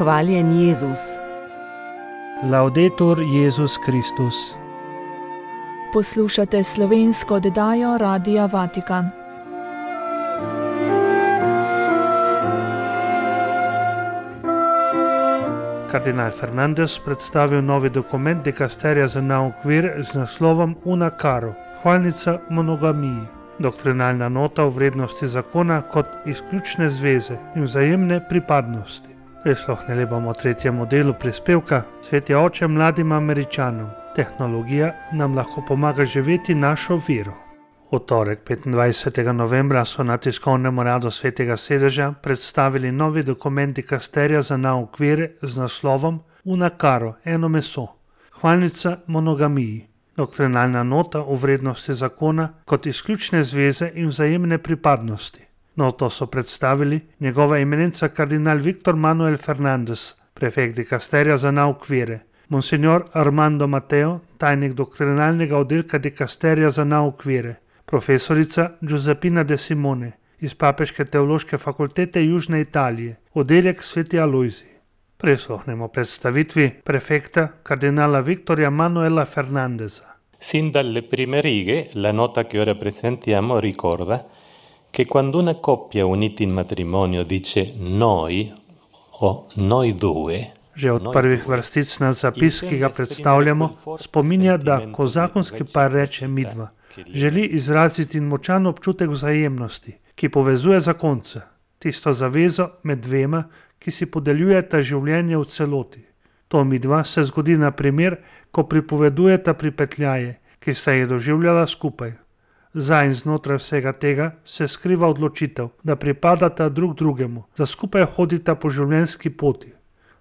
Hvaljen Jezus. Laudetur Jezus Kristus. Poslušate slovensko oddajo Radia Vatikan. Kardinal Fernandez predstavil novi dokument dikasterija za nauk vere z naslovom Una caro, hvalnica monogamiji, doktrinalna nota o vrednosti zakona kot izključne zveze in vzajemne pripadnosti. Prisluhnili bomo tretjemu delu prispevka Sveti oče mladim Američanom. Tehnologija nam lahko pomaga živeti našo vero. V torek 25. novembra so na tiskovnem uradu Svetega sedeža predstavili novi dokument dikasterija za nauk vere z naslovom Una caro, eno meso, hvalnica monogamiji, doktrinalna nota o vrednosti zakona kot izključne zveze in vzajemne pripadnosti. Noto so predstavili njegova eminenca kardinal Victor Manuel Fernandez, prefekt dikasterija za nauk vere, monsignor Armando Mateo, tajnik doktrinalnega oddelka dikasterija za nauk vere, profesorica Giuseppina De Simone iz Papeške teološke fakultete Južne Italije, oddelek Sveti Alojzij. Prisluhnemo predstavitvi prefekta kardinala Victorja Manuela Fernandeza. Sin dalle prime righe, la nota che ora presentiamo ricorda che quando una coppia unita in matrimonio dice noi o noi due, Že od prvih vrstic na zapis, ki ga predstavljamo, spominja, da ko zakonski par reče midva, želi izraziti močan občutek vzajemnosti, ki povezuje zakonce, tisto zavezo med dvema, ki si podeljujeta življenje v celoti. To midva se zgodi na primer, ko pripovedujeta pripetljaje, ki sta jih doživljala skupaj. Za in znotraj vsega tega se skriva odločitev, da pripadata drug drugemu, da skupaj hodita po življenjski poti.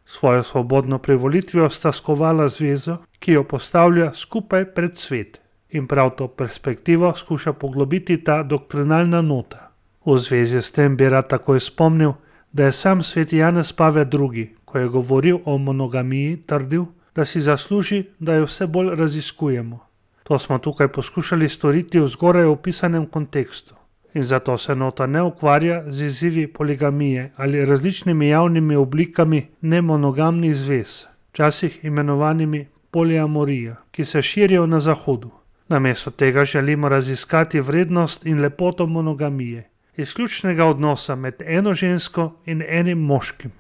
Svojo svobodno privolitvijo sta skovala zvezo, ki jo postavlja skupaj pred svet. In prav to perspektivo skuša poglobiti ta doktrinalna nota. V zvezi s tem bi rad takoj spomnil, da je sam sveti Janez Pavel II, ko je govoril o monogamiji, trdil, da si zasluži, da jo vse bolj raziskujemo. To smo tukaj poskušali storiti v zgoraj opisanem kontekstu. In zato se nota ne ukvarja z izzivi poligamije ali različnimi javnimi oblikami nemonogamnih zvez, včasih imenovanimi poliamorija, ki se širijo na Zahodu. Namesto tega želimo raziskati vrednost in lepoto monogamije, izključnega odnosa med eno žensko in enim moškim.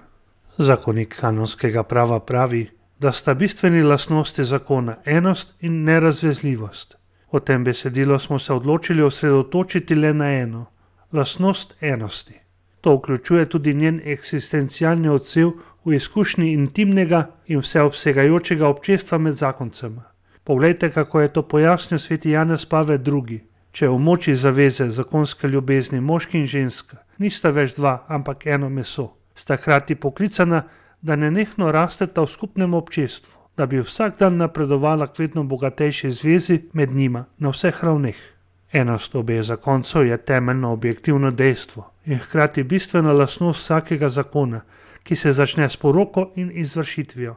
Zakonik kanonskega prava pravi, da sta bistveni lastnosti zakona enost in nerazvezljivost. V tem besedilu smo se odločili osredotočiti le na eno, lastnost enosti. To vključuje tudi njen eksistencialni odsev v izkušnji intimnega in vseobsegajočega občestva med zakoncema. Poglejte, kako je to pojasnil sveti Janez Pavel II. Če v moči zaveze zakonske ljubezni moški in ženska nista več dva, ampak eno meso, sta hkrati poklicana, da nenehno rasteta v skupnem občestvu, da bi vsak dan napredovala k vedno bogatejši zvezi med njima na vseh ravneh. Enost obeh zakoncev je temeljno objektivno dejstvo in hkrati bistvena lastnost vsakega zakona, ki se začne s poroko in izvršitvijo,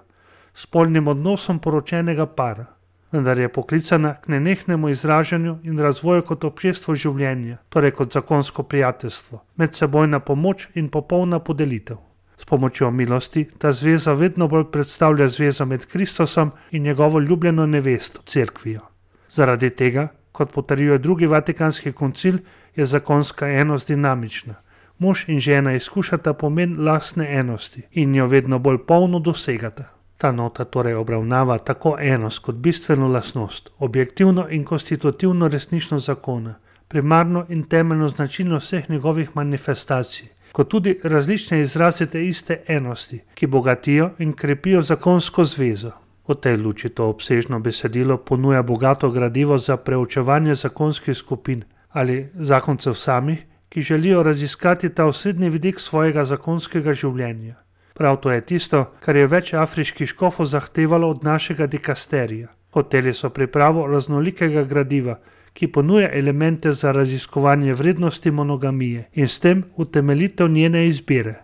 s spolnim odnosom poročenega para, vendar je poklicana k nenehnemu izražanju in razvoju kot občestvo življenja, torej kot zakonsko prijateljstvo, medsebojna pomoč in popolna podelitev. S pomočjo milosti ta zveza vedno bolj predstavlja zvezo med Kristusom in njegovo ljubljeno nevesto, cerkvijo. Zaradi tega, kot potrjuje drugi vatikanski koncil, je zakonska enost dinamična. Mož in žena izkušata pomen lastne enosti in jo vedno bolj polno dosegata. Ta nota torej obravnava tako enost kot bistveno lastnost, objektivno in konstitutivno resničnost zakona, primarno in temeljno značilnost vseh njegovih manifestacij, kot tudi različne izraze te iste enosti, ki bogatijo in krepijo zakonsko zvezo. V tej luči to obsežno besedilo ponuja bogato gradivo za preučevanje zakonskih skupin ali zakoncev samih, ki želijo raziskati ta osrednji vidik svojega zakonskega življenja. Prav to je tisto, kar je več afriških škofov zahtevalo od našega dikasterija. Hoteli so pripravo raznolikega gradiva, ki ponuja elemente za raziskovanje vrednosti monogamije in s tem utemeljitev njene izbire.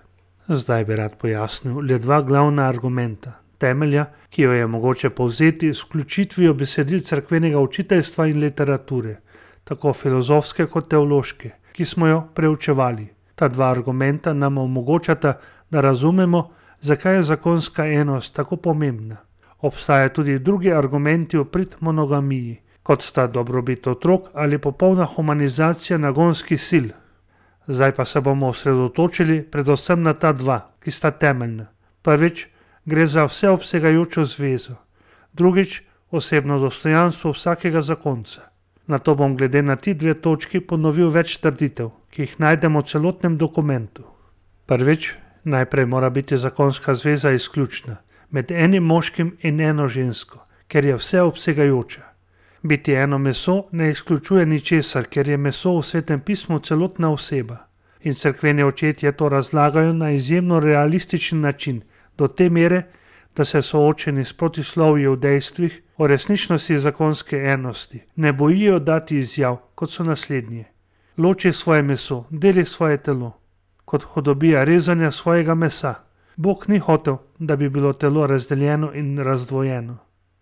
Zdaj bi rad pojasnil le dva glavna argumenta, temelja, ki jo je mogoče povzeti s vključitvijo besedil cerkvenega učiteljstva in literature, tako filozofske kot teološke, ki smo jo preučevali. Ta dva argumenta nam omogočata, da razumemo, zakaj je zakonska enost tako pomembna. Obstajajo tudi drugi argumenti v prid monogamiji, kot sta dobrobit otrok ali popolna humanizacija nagonskih sil. Zdaj pa se bomo osredotočili predvsem na ta dva, ki sta temeljna. Prvič, gre za vseobsegajočo zvezo. Drugič, osebno dostojanstvo vsakega zakonca. Nato bom glede na ti dve točki ponovil več trditev, ki jih najdemo v celotnem dokumentu. Prvič, najprej mora biti zakonska zveza izključna, med enim moškim in eno žensko, ker je vseobsegajoča. Biti eno meso ne izključuje ničesar, ker je meso v Svetem pismu celotna oseba. In cerkveni očetje to razlagajo na izjemno realističen način, do te mere, da se soočeni s protislovji v dejstvih o resničnosti zakonske enosti ne bojijo dati izjav, kot so naslednje. Loči svoje meso, deli svoje telo, kot hudobija rezanja svojega mesa. Bog ni hotel, da bi bilo telo razdeljeno in razdvojeno.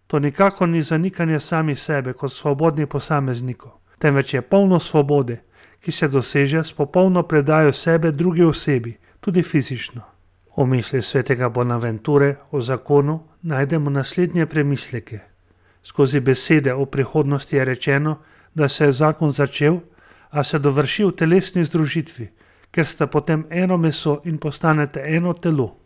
To nikakor ni zanikanje samih sebe kot svobodnih posameznikov, temveč je polno svobode, ki se doseže s popolno predajo sebe drugi osebi, tudi fizično. V misli svetega Bonaventure o zakonu najdemo naslednje premisleke. Skozi besede o prihodnosti je rečeno, da se je zakon začel, a se dovrši v telesni združitvi, ker sta potem eno meso in postanete eno telo.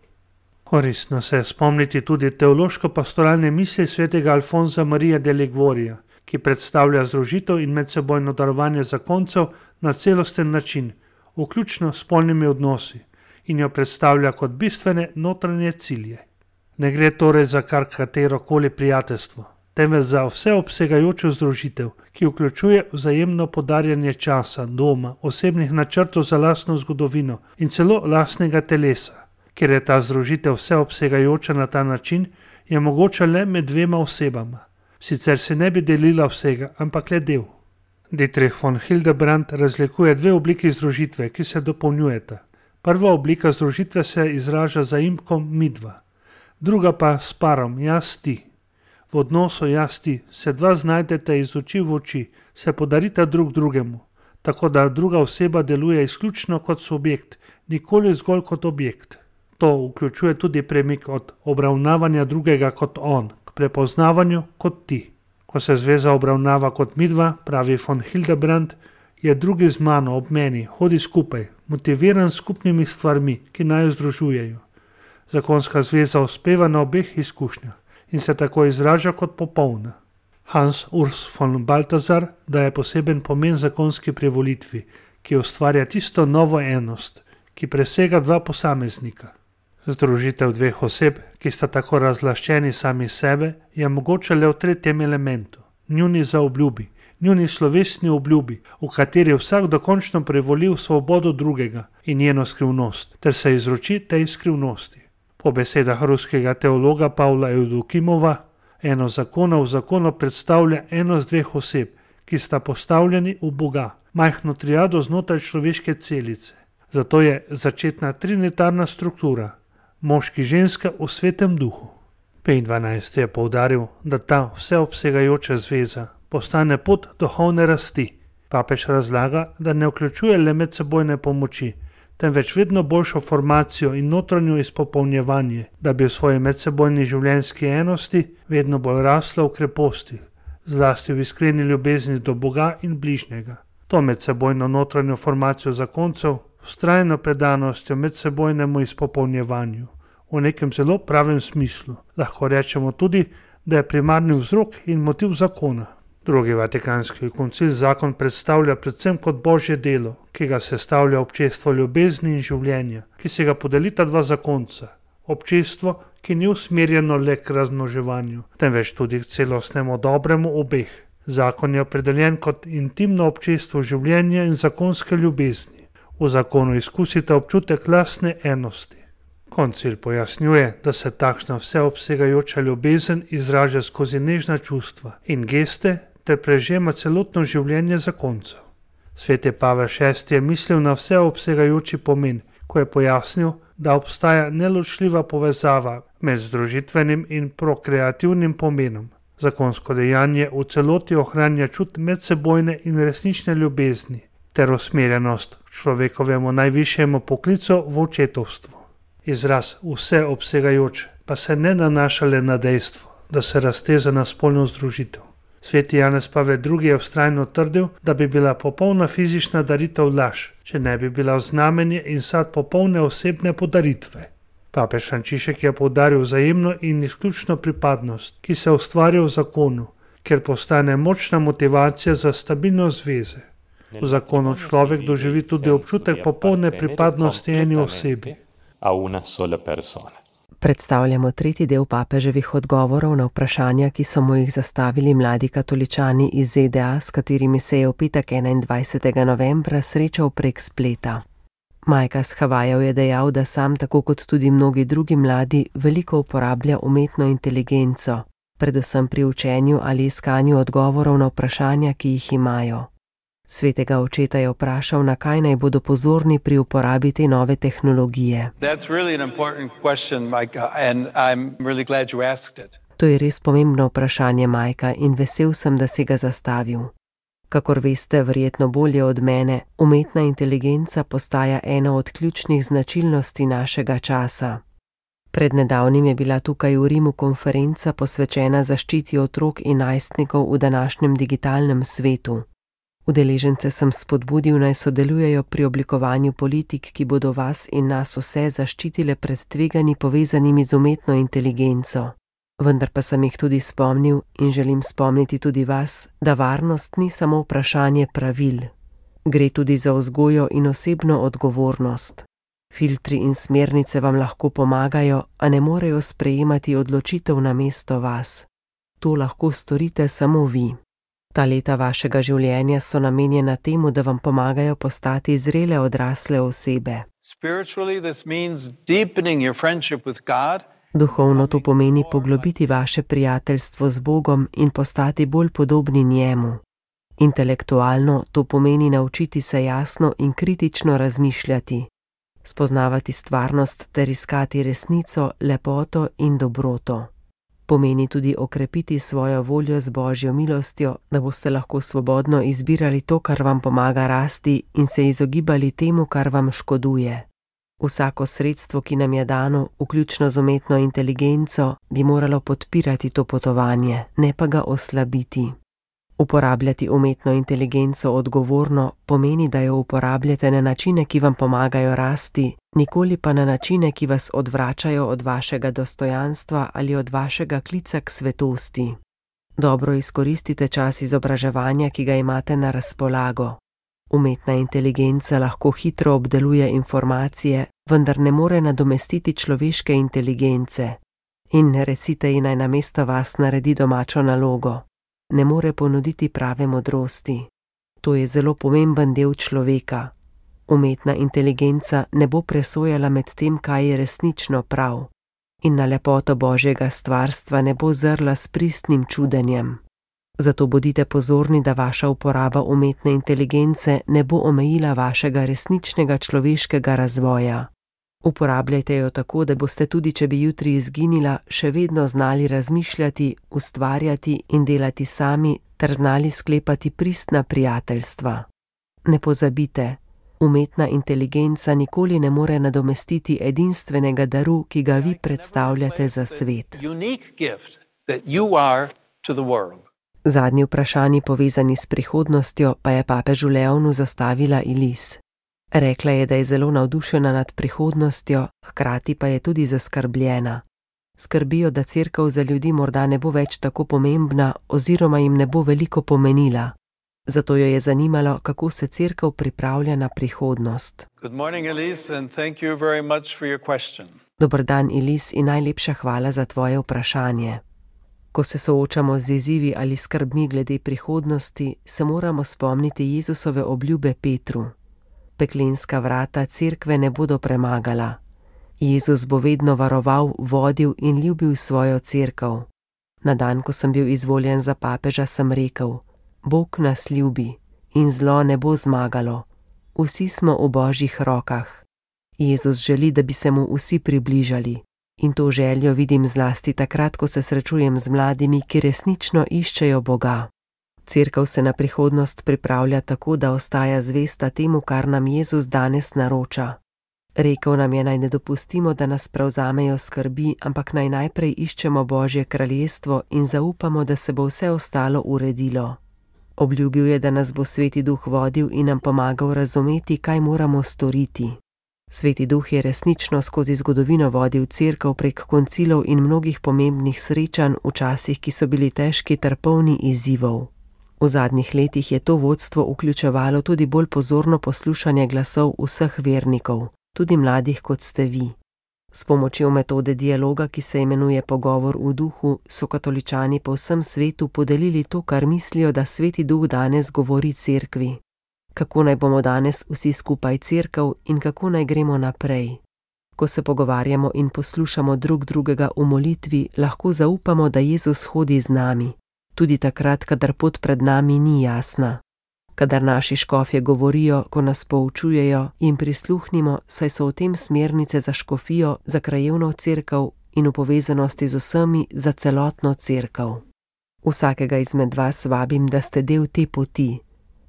Koristno se je spomniti tudi teološko-pastoralne misli svetega Alfonza Marija de Liguorija, ki predstavlja združitev in medsebojno darovanje zakoncev na celosten način, vključno s spolnimi odnosi, in jo predstavlja kot bistvene notranje cilje. Ne gre torej za kar katerokoli prijateljstvo, temveč za vseobsegajočo združitev, ki vključuje vzajemno podarjanje časa, doma, osebnih načrtov za lastno zgodovino in celo lastnega telesa. Ker je ta združitev vseobsegajoča na ta način, je mogoča le med dvema osebama. Sicer se ne bi delila vsega, ampak le del. Dietrich von Hildebrand razlikuje dve obliki združitve, ki se dopolnjujeta. Prva oblika združitve se izraža zaimkom midva, druga pa s parom jaz-ti. V odnosu jaz-ti se dva znajdete iz oči v oči, se podarita drug drugemu, tako da druga oseba deluje izključno kot subjekt, nikoli zgolj kot objekt. To vključuje tudi premik od obravnavanja drugega kot on, k prepoznavanju kot ti. Ko se zveza obravnava kot midva, pravi von Hildebrand, je drugi z mano ob meni, hodi skupaj, motiviran s skupnimi stvarmi, ki naj jo združujejo. Zakonska zveza uspeva na obeh izkušnjah in se tako izraža kot popolna. Hans Urs von Balthasar daje poseben pomen zakonski privolitvi, ki ustvarja tisto novo enost, ki presega dva posameznika. Združitev dveh oseb, ki sta tako razlaščeni sami sebe, je mogoče le v tretjem elementu, njuni zaobljubi, njuni slovesni obljubi, v kateri vsak dokončno privoli v svobodo drugega in njeno skrivnost, ter se izroči tej skrivnosti. Po besedah ruskega teologa Pavla Evdokimova, eno zakona v zakonu predstavlja enost dveh oseb, ki sta postavljeni v Boga, majhno triado znotraj človeške celice. Zato je začetna trinitarna struktura, moški ženska v svetem duhu. Pej XII je poudaril, da ta vseobsegajoča zveza postane pot duhovne rasti. Papež razlaga, da ne vključuje le medsebojne pomoči, temveč vedno boljšo formacijo in notranjo izpopolnjevanje, da bi v svoji medsebojni življenjski enosti vedno bolj rasla v kreposti, zlasti v iskreni ljubezni do Boga in bližnjega. To medsebojno notranjo formacijo zakoncev, vztrajno predanostjo medsebojnemu izpopolnjevanju, v nekem zelo pravem smislu, lahko rečemo tudi, da je primarni vzrok in motiv zakona. Drugi vatikanski koncil zakon predstavlja predvsem kot božje delo, ki ga sestavlja občestvo ljubezni in življenja, ki se ga podelita dva zakonca. Občestvo, ki ni usmerjeno le k razmnoževanju, temveč tudi k celostnemu dobremu obeh. Zakon je opredeljen kot intimno občestvo življenja in zakonske ljubezni. V zakonu izkusite občutek lastne enosti. Koncil pojasnjuje, da se takšna vseobsegajoča ljubezen izraža skozi nežna čustva in geste ter prežema celotno življenje zakoncev. Sveti Pavel VI je mislil na vseobsegajoči pomen, ko je pojasnil, da obstaja neločljiva povezava med združitvenim in prokreativnim pomenom. Zakonsko dejanje v celoti ohranja čut medsebojne in resnične ljubezni ter usmerjenost k človekovemu najvišjemu poklicu v očetovstvu. Izraz vseobsegajoč pa se ne nanaša le na dejstvo, da se razteza na spolno združitev. Sveti Janez Pavel II. Je vztrajno trdil, da bi bila popolna fizična daritev laž, če ne bi bila znamenje in sad popolne osebne podaritve. Papež Frančišek je poudaril vzajemno in izključno pripadnost, ki se ustvarja v zakonu, ker postane močna motivacija za stabilnost zveze. V zakonu človek doživi tudi občutek popolne pripadnosti eni osebi. Predstavljamo tretji del papeževih odgovorov na vprašanja, ki so mu jih zastavili mladi katoličani iz ZDA, s katerimi se je v petek 21. novembra srečal prek spleta. Majka s Havajev je dejal, da sam, tako kot tudi mnogi drugi mladi, veliko uporablja umetno inteligenco, predvsem pri učenju ali iskanju odgovorov na vprašanja, ki jih imajo. Svetega očeta je vprašal, na kaj naj bodo pozorni pri uporabi te nove tehnologije. To je res pomembno vprašanje, Majka, in vesel sem, da si ga zastavil. Kakor veste, verjetno bolje od mene, umetna inteligenca postaja ena od ključnih značilnosti našega časa. Pred nedavnim je bila tukaj v Rimu konferenca posvečena zaščiti otrok in najstnikov v današnjem digitalnem svetu. Udeležence sem spodbudil, naj sodelujejo pri oblikovanju politik, ki bodo vas in nas vse zaščitile pred tveganji povezanimi z umetno inteligenco. Vendar pa sem jih tudi spomnil in želim spomniti tudi vas, da varnost ni samo vprašanje pravil. Gre tudi za vzgojo in osebno odgovornost. Filtri in smernice vam lahko pomagajo, a ne morejo sprejemati odločitev namesto vas. To lahko storite samo vi. Ta leta vašega življenja so namenjena temu, da vam pomagajo postati zrele odrasle osebe. Duhovno to pomeni poglobiti vaše prijateljstvo z Bogom in postati bolj podobni njemu. Intelektualno to pomeni naučiti se jasno in kritično razmišljati, spoznavati stvarnost ter iskati resnico, lepoto in dobroto. Pomeni tudi okrepiti svojo voljo z Božjo milostjo, da boste lahko svobodno izbirali to, kar vam pomaga rasti, in se izogibali temu, kar vam škoduje. Vsako sredstvo, ki nam je dano, vključno z umetno inteligenco, bi moralo podpirati to potovanje, ne pa ga oslabiti. Uporabljati umetno inteligenco odgovorno pomeni, da jo uporabljate na načine, ki vam pomagajo rasti, nikoli pa na načine, ki vas odvračajo od vašega dostojanstva ali od vašega klica k svetosti. Dobro izkoristite čas izobraževanja, ki ga imate na razpolago. Umetna inteligenca lahko hitro obdeluje informacije, vendar ne more nadomestiti človeške inteligence. In recite ji, naj namesto vas naredi domačo nalogo. Ne more ponuditi prave modrosti. To je zelo pomemben del človeka. Umetna inteligenca ne bo presojala med tem, kaj je resnično prav. In na lepoto Božjega stvarstva ne bo zrla s pristnim čudenjem. Zato bodite pozorni, da vaša uporaba umetne inteligence ne bo omejila vašega resničnega človeškega razvoja. Uporabljajte jo tako, da boste tudi, če bi jutri izginila, še vedno znali razmišljati, ustvarjati in delati sami ter znali sklepati pristna prijateljstva. Ne pozabite, umetna inteligenca nikoli ne more nadomestiti edinstvenega daru, ki ga vi predstavljate za svet. Zadnji vprašanji povezani s prihodnostjo pa je papežu Leonu zastavila Ilis. Rekla je, da je zelo navdušena nad prihodnostjo, hkrati pa je tudi zaskrbljena. Skrbijo, da cerkev za ljudi morda ne bo več tako pomembna oziroma jim ne bo veliko pomenila. Zato jo je zanimalo, kako se cerkev pripravlja na prihodnost. Dober dan, Ilis, in najlepša hvala za tvoje vprašanje. Ko se soočamo z izzivi ali skrbmi glede prihodnosti, se moramo spomniti Jezusove obljube Petru. Peklenska vrata cerkve ne bodo premagala. Jezus bo vedno varoval, vodil in ljubil svojo cerkev. Na dan, ko sem bil izvoljen za papeža, sem rekel: Bog nas ljubi in zlo ne bo zmagalo. Vsi smo v Božjih rokah. Jezus želi, da bi se mu vsi približali. In to željo vidim zlasti takrat, ko se srečujem z mladimi, ki resnično iščejo Boga. Cerkev se na prihodnost pripravlja tako, da ostaja zvesta temu, kar nam Jezus danes naroča. Rekel nam je, naj ne dopustimo, da nas prevzamejo skrbi, ampak naj najprej iščemo Božje kraljestvo in zaupamo, da se bo vse ostalo uredilo. Obljubil je, da nas bo Sveti Duh vodil in nam pomagal razumeti, kaj moramo storiti. Sveti Duh je resnično skozi zgodovino vodil Cerkev prek koncilov in mnogih pomembnih srečanj v časih, ki so bili težki ter polni izzivov. V zadnjih letih je to vodstvo vključevalo tudi bolj pozorno poslušanje glasov vseh vernikov, tudi mladih kot ste vi. S pomočjo metode dialoga, ki se imenuje Pogovor v duhu, so katoličani po vsem svetu podelili to, kar mislijo, da Sveti Duh danes govori Cerkvi. Kako naj bomo danes vsi skupaj Cerkev in kako naj gremo naprej. Ko se pogovarjamo in poslušamo drug drugega v molitvi, lahko zaupamo, da Jezus hodi z nami, tudi takrat, kadar pot pred nami ni jasna. Kadar naši škofje govorijo, ko nas poučujejo, jim prisluhnimo, saj so v tem smernice za škofijo, za krajevno cerkev in v povezanosti z vsemi za celotno cerkev. Vsakega izmed vas vabim, da ste del te poti.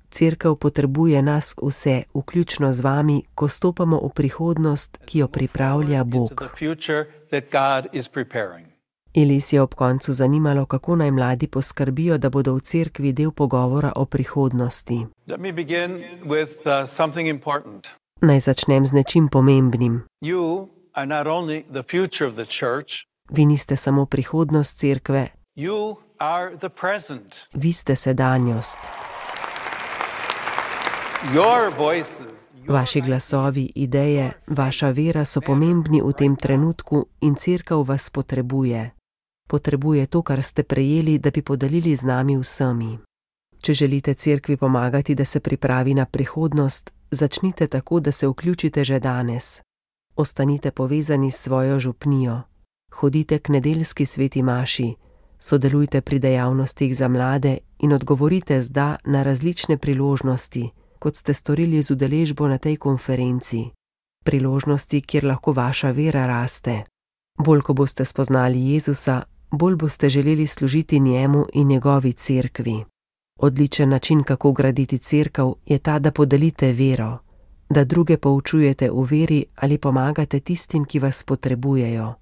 Cerkev potrebuje nas vse, vključno z vami, ko stopamo v prihodnost, ki jo pripravlja Bog. Elis je ob koncu zanimalo, kako naj mladi poskrbijo, da bodo v cerkvi del pogovora o prihodnosti. Naj začnem z nečim pomembnim. Vi niste samo prihodnost cerkve, vi ste sedanjost. Vaši glasovi, ideje, vaša vera so pomembni v tem trenutku in cerkev vas potrebuje. Potrebuje to, kar ste prejeli, da bi podelili z nami vsemi. Če želite cerkvi pomagati, da se pripravi na prihodnost, začnite tako, da se vključite že danes. Ostanite povezani s svojo župnijo. Hodite k nedeljski sveti maši, sodelujte pri dejavnostih za mlade in odgovorite z da na različne priložnosti, kot ste storili z udeležbo na tej konferenci. Priložnosti, kjer lahko vaša vera raste. Bolj, ko boste spoznali Jezusa, bolj boste želeli služiti njemu in njegovi cerkvi. Odličen način, kako graditi cerkev, je ta, da podelite vero, da druge poučujete v veri ali pomagate tistim, ki vas potrebujejo.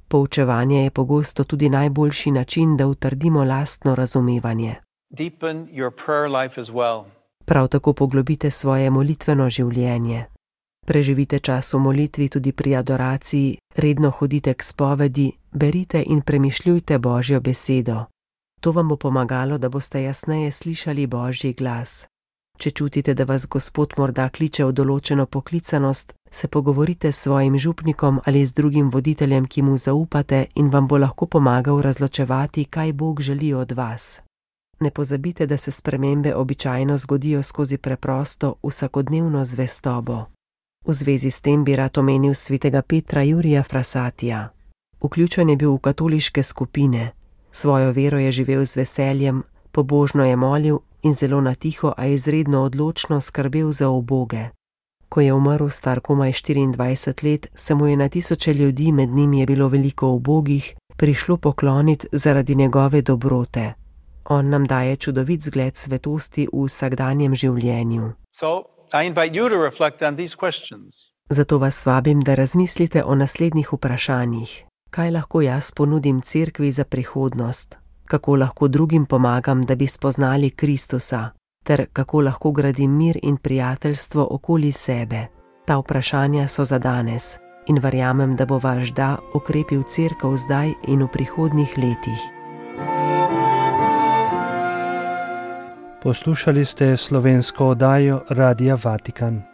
Poučevanje je pogosto tudi najboljši način, da utrdimo lastno razumevanje. Prav tako poglobite svoje molitveno življenje. Preživite čas v molitvi tudi pri adoraciji, redno hodite k spovedi, berite in premišljujte Božjo besedo. To vam bo pomagalo, da boste jasneje slišali Božji glas. Če čutite, da vas Gospod morda kliče v določeno poklicanost, se pogovorite s svojim župnikom ali z drugim voditeljem, ki mu zaupate in vam bo lahko pomagal razločevati, kaj Bog želi od vas. Ne pozabite, da se spremembe običajno zgodijo skozi preprosto, vsakodnevno zvestobo. V zvezi s tem bi rad omenil svetega Petra Jurija Frasatija. Vključen je bil v katoliške skupine. Svojo vero je živel z veseljem, pobožno je molil in zelo na tiho, a izredno odločno skrbel za uboge. Ko je umrl star komaj 24 let, se mu je na tisoče ljudi, med njimi je bilo veliko ubogih, prišlo pokloniti zaradi njegove dobrote. On nam daje čudovit zgled svetosti v vsakdanjem življenju. Zato vas vabim, da razmislite o naslednjih vprašanjih. Kaj lahko jaz ponudim cerkvi za prihodnost? Kako lahko drugim pomagam, da bi spoznali Kristusa? Ter kako lahko gradim mir in prijateljstvo okoli sebe? Ta vprašanja so za danes in verjamem, da bo vaš da okrepil cerkev zdaj in v prihodnjih letih. Poslušali ste slovensko oddajo Radia Vatikan.